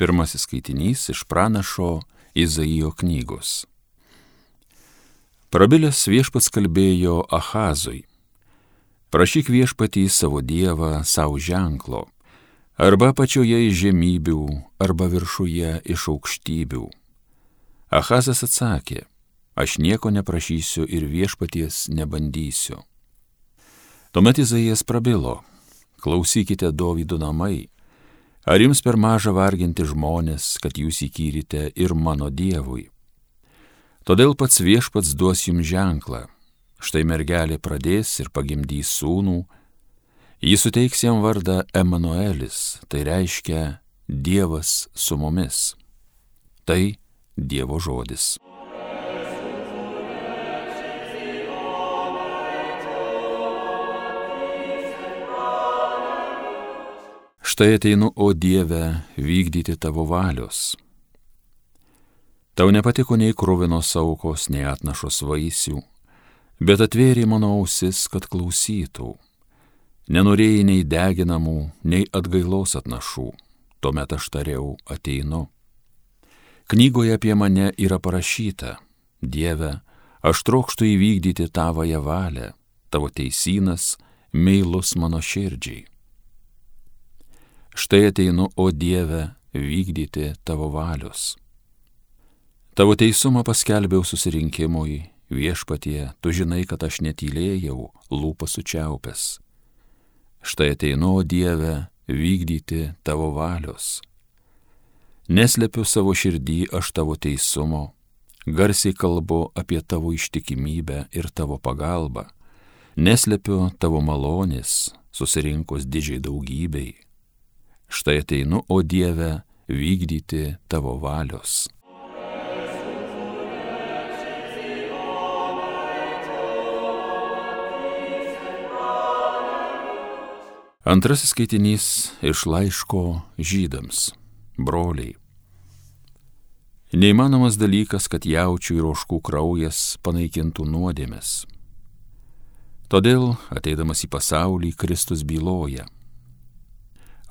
Pirmasis skaitinys iš pranašo Izaijo knygos. Prabilęs Viešpats kalbėjo Ahazui: prašyk Viešpatį savo Dievą savo ženklo, arba pačioje iš žemybių, arba viršuje iš aukštybių. Ahazas atsakė: aš nieko neprašysiu ir Viešpaties nebandysiu. Tuomet Izaijas prabilo: klausykite, Dovydo namai, ar jums per maža varginti žmonės, kad jūs įkyrite ir mano Dievui? Todėl pats Viešpats duos jums ženklą. Štai mergelė pradės ir pagimdys sūnų. Jis suteiks jam vardą Emanuelis, tai reiškia Dievas su mumis. Tai Dievo žodis. Štai ateinu, o Dieve, vykdyti tavo valios. Tau nepatiko nei kruvinos aukos, nei atnašos vaisių, bet atvėrė mano ausis, kad klausytų. Nenorėjai nei deginamų, nei atgailos atnašų, tuomet aš tariau: ateinu. Knygoje apie mane yra parašyta: Dieve, aš trokštu įvykdyti tavąją valią, tavo teisynas meilus mano širdžiai. Štai ateinu, o Dieve, vykdyti tavo valios. Tavo teisumą paskelbiau susirinkimui, Viešpatie, tu žinai, kad aš netylėjau, lūpas sučiaupęs. Štai ateinu, o Dieve, vykdyti tavo valios. Neslepiu savo širdį aš tavo teisumo, garsiai kalbu apie tavo ištikimybę ir tavo pagalbą. Neslepiu tavo malonės, susirinkus didžiai daugybei. Štai ateinu, o Dieve, vykdyti tavo valios. Antrasis skaitinys iš laiško Žydams. Broliai. Neįmanomas dalykas, kad jaučių ir ožkų kraujas panaikintų nuodėmes. Todėl, ateidamas į pasaulį, Kristus byloja: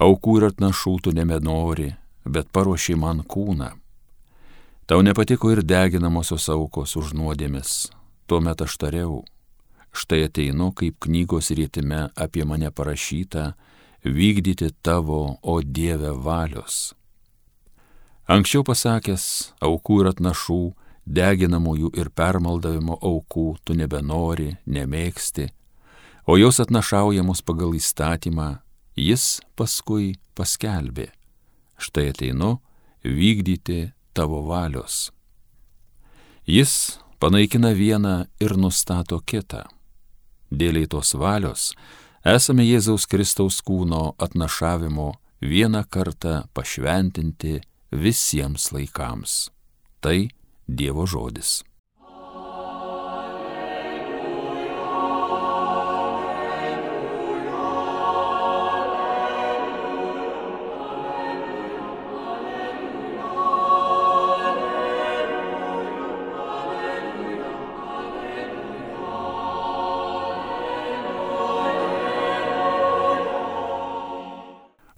aukų ir atnašų tu nebenori, bet paruošė man kūną. Tau nepatiko ir deginamosios aukos už nuodėmes. Tuomet aš tariau: štai ateinu, kaip knygos rietime apie mane parašyta, vykdyti tavo, o Dieve, valios. Anksčiau pasakęs: aukų ir atnašų, deginamųjų ir permaldavimo aukų tu nebenori, nemėgsti, o jos atnašaujamos pagal įstatymą, jis paskui paskelbė: štai ateinu, vykdyti tavo valios. Jis panaikina vieną ir nustato kitą. Dėliai tos valios esame Jėzaus Kristaus kūno atnašavimo vieną kartą pašventinti visiems laikams. Tai Dievo žodis.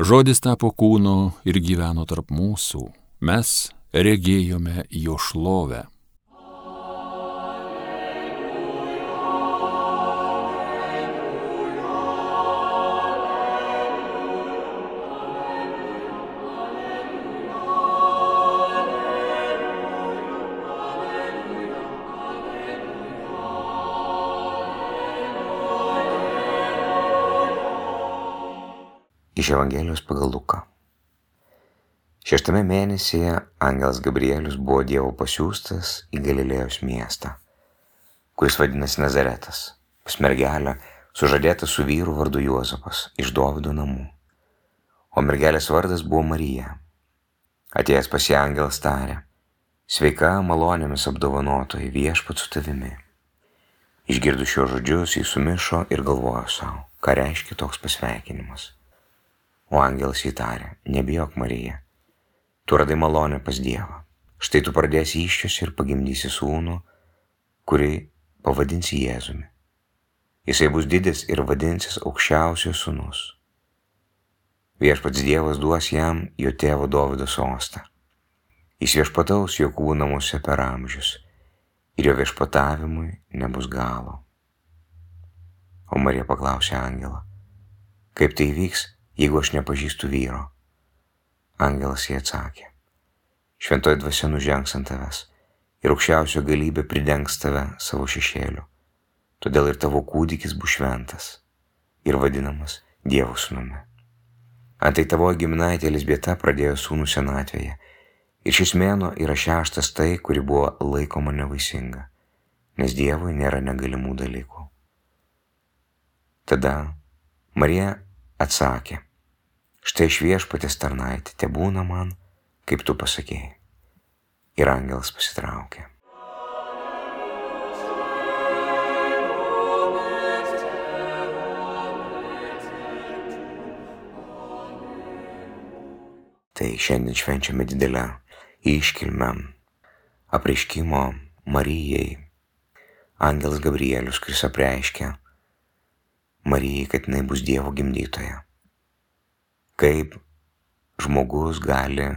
Žodis tapo kūnu ir gyveno tarp mūsų. Mes regėjome jo šlovę. Iš Evangelijos pagal Luką. 6 mėnesyje angelas Gabrielius buvo Dievo pasiųstas į Galilėjos miestą, kuris vadinasi Nazaretas, pas mergelę sužadėtą su vyru vardu Juozapas iš Dovydo namų. O mergelės vardas buvo Marija. Atėjęs pas ją angelas tarė: sveika, malonėmis apdovanotoji, Viešpats su tavimi. Išgirdus šios žodžius, jis sumišo ir galvojo savo, ką reiškia toks pasveikinimas. O angelas įtarė: nebijok, Marija, tu radai malonę pas Dievą. Štai tu pradėsi įsčios ir pagimdysi sūnų, kurį pavadinsi Jėzumi. Jisai bus didis ir vadinsis aukščiausiojo sūnus. Viešpats Dievas duos jam jo tėvo Dovydo sostą. Jis viešpataus Jokūbo namuose per amžius ir jo viešpatavimui nebus galo. O Marija paklausė angelą, kaip tai vyks, jeigu aš nepažįstu vyro? Angelas jai atsakė, šventoji dvasia nužengs ant tavęs ir aukščiausio galybė pridengs tave savo šešėliu. Todėl ir tavo kūdikis bus šventas ir vadinamas Dievo sūnumi. Antai tavoji giminaitė Elizbieta pradėjo sūnų senatvėje ir šis mėnuo yra 6. tai, kuri buvo laikoma nevaisinga, nes Dievui nėra negalimų dalykų. Tada Marija atsakė, štai iš Viešpaties tarnaitė, tebūna man, kaip tu pasakėjai. Ir angelas pasitraukė. Tai šiandien švenčiame didelę iškilmę apreiškimo Marijai. Angelas Gabrielius, kuris apreiškia Marijai, kad jinai bus Dievo gimdytoja. Kaip žmogus gali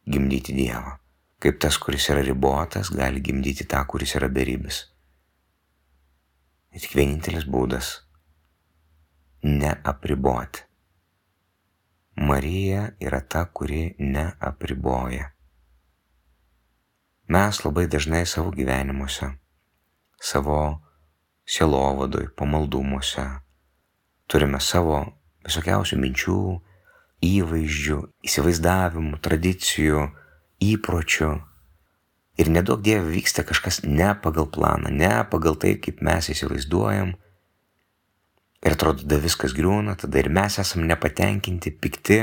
gimdyti Dievą. Kaip tas, kuris yra ribotas, gali gimdyti tą, kuris yra beribis. Ir tik vienintelis būdas – neapriboti. Marija yra ta, kuri neapriboja. Mes labai dažnai savo gyvenimuose, savo sielovadoj, pamaldumuose turime savo visokiausių minčių, įvaizdžių, įsivaizdavimų, tradicijų, įpročių. Ir nedaug Dieve vyksta kažkas ne pagal planą, ne pagal tai, kaip mes įsivaizduojam. Ir atrodo, tada viskas griūna, tada ir mes esam nepatenkinti, pikti,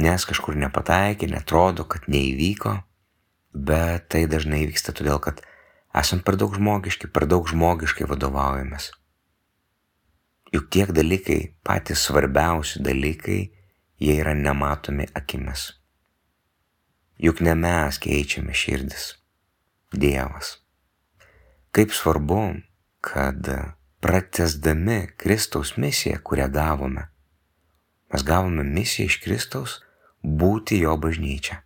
nes kažkur nepataikė, netrodo, kad neįvyko. Bet tai dažnai vyksta todėl, kad esam per daug žmogiškai vadovaujamės. Juk tiek dalykai, patys svarbiausi dalykai, jie yra nematomi akimis. Juk ne mes keičiame širdis, Dievas. Kaip svarbu, kad pratęsdami Kristaus misiją, kurią gavome, mes gavome misiją iš Kristaus būti jo bažnyčia,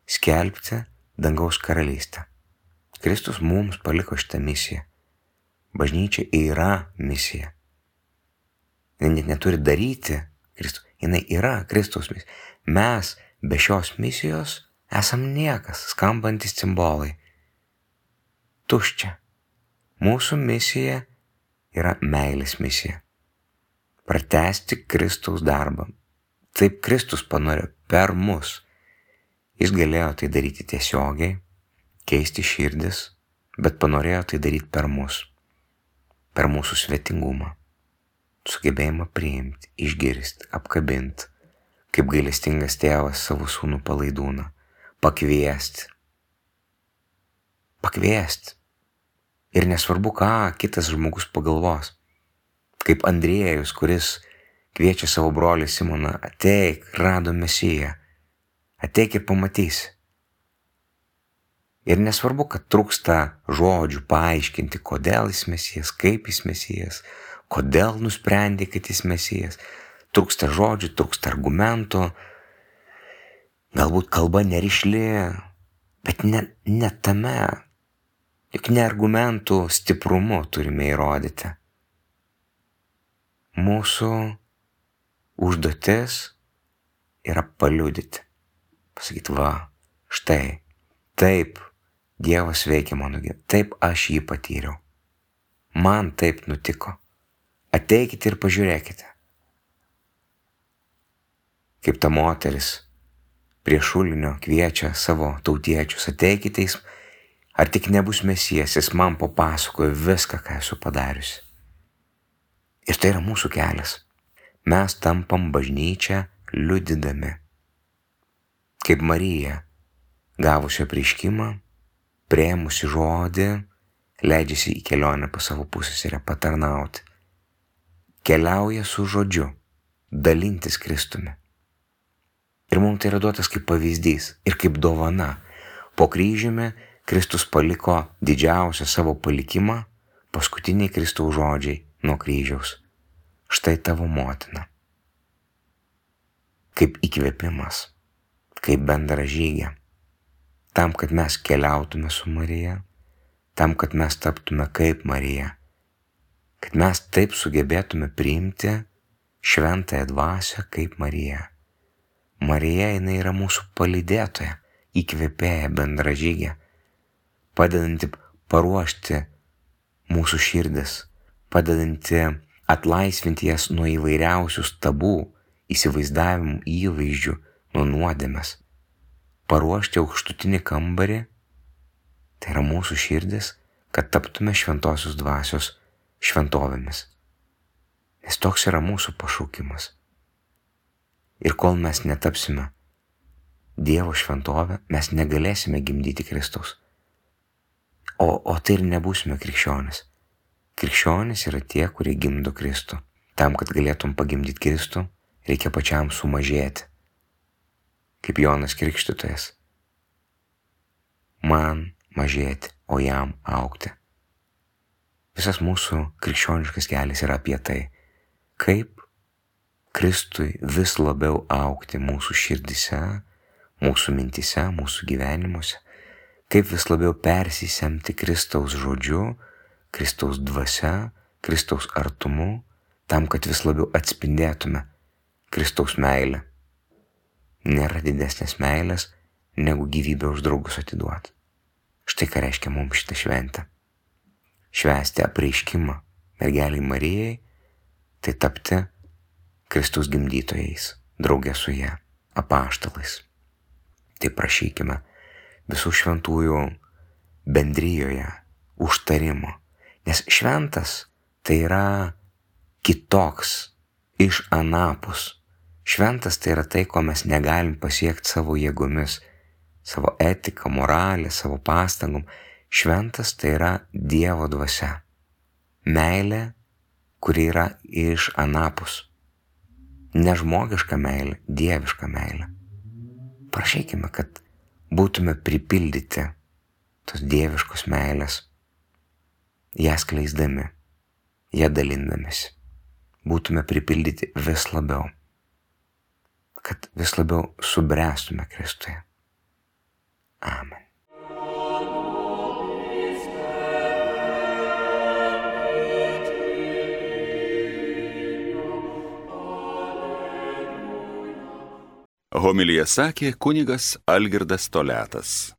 skelbti dangaus karalystę. Kristus mums paliko šitą misiją. Bažnyčia yra misija. Jis net neturi daryti Kristus. Jis yra Kristaus misija. Mes be šios misijos esam niekas, skambantis cimbolai. Tuščia. Mūsų misija yra meilės misija. Pratęsti Kristaus darbą. Taip Kristus panorėjo per mus. Jis galėjo tai daryti tiesiogiai, keisti širdis, bet panorėjo tai daryti per mus. Per mūsų svetingumą. Sugebėjimą priimti, išgirsti, apkabinti, kaip gailestingas tėvas savo sūnų palaidūną, pakviesti. Ir nesvarbu, ką kitas žmogus pagalvos. Kaip Andriejus, kuris kviečia savo brolį Simoną, ateik, rado Mesiją, ateik ir pamatysi. Ir nesvarbu, kad trūksta žodžių paaiškinti, kodėl jis Mesijas, kaip jis Mesijas, kodėl nusprendė, kad jis Mesijas. Trūksta žodžių, trūksta argumentų, galbūt kalba nerišli, bet ne tame. Juk ne argumentų stiprumu turime įrodyti. Mūsų užduotis yra paliudyti. Pasakyti, va, štai, taip Dievas veikia mano gyvenimą, taip aš jį patyriau. Man taip nutiko. Ateikite ir pažiūrėkite. Kaip ta moteris prie šulinio kviečia savo tautiečius, ateikite, ar tik nebus Mesijas, jis man papasakojo viską, ką esu padariusi. Ir tai yra mūsų kelias. Mes tampam bažnyčią liudydami. Kaip Marija, gavusi apreiškimą, priėmusi žodį, leidžiasi į kelionę pas savo pusseserę patarnauti. Keliauja su žodžiu, dalintis Kristumi. Ir mums tai yra duotas kaip pavyzdys ir kaip dovana. Po kryžiumi Kristus paliko didžiausią savo palikimą, paskutiniai Kristaus žodžiai nuo kryžiaus. Štai tavo motina. kaip įkvėpimas, kaip bendražygė, tam, kad mes keliautume su Marija, tam, kad mes taptume kaip Marija, kad mes taip sugebėtume priimti šventąją dvasią kaip Marija. Marija, jinai yra mūsų palydėtoja, įkvėpėja, bendražygė, padedanti paruošti mūsų širdis, padedanti atlaisvinti jas nuo įvairiausių stabų, įsivaizdavimų, įvaizdžių, nuo nuodėmės, paruošti aukštutinį kambarį, tai yra mūsų širdis, kad taptume šventosios dvasios šventovėmis. Nes toks yra mūsų pašaukimas. Ir kol mes netapsime Dievo šventovę, mes negalėsime gimdyti Kristaus. O tai ir nebūsime krikščionis. Krikščionis yra tie, kurie gimdo Kristų. Tam, kad galėtum pagimdyti Kristų, reikia pačiam sumažėti. Kaip Jonas Krikštytojas. Man mažėti, o jam augti. Visas mūsų krikščioniškas kelias yra apie tai, kaip Kristui vis labiau augti mūsų širdise, mūsų mintise, mūsų gyvenimuose, kaip vis labiau persisemti Kristaus žodžiu, Kristaus dvasia, Kristaus artumu, tam, kad vis labiau atspindėtume Kristaus meilę. Nėra didesnės meilės, negu gyvybę už draugus atiduoti. Štai ką reiškia mums šitą šventę. Švęsti apreiškimą mergeliai Marijai, tai tapti Kristaus gimdytojais, draugė su ja, apaštalais. Tai prašykime visų šventųjų bendrijoje užtarimo, nes šventas tai yra kitoks, iš anapus. Šventas tai yra tai, ko mes negalim pasiekti savo jėgomis, savo etiką, moralę, savo pastangom. Šventas tai yra Dievo dvasia. Meilė, kuri yra iš anapus. Ne žmogiška meilė, dieviška meilė. Prašykime, kad būtume pripildyti tos dieviškos meilės, ją skleisdami, ją dalindamėsi. Būtume pripildyti vis labiau, kad vis labiau subręstume Kristuje. Amen. Homiliją sakė kunigas Algirdas Toliatas.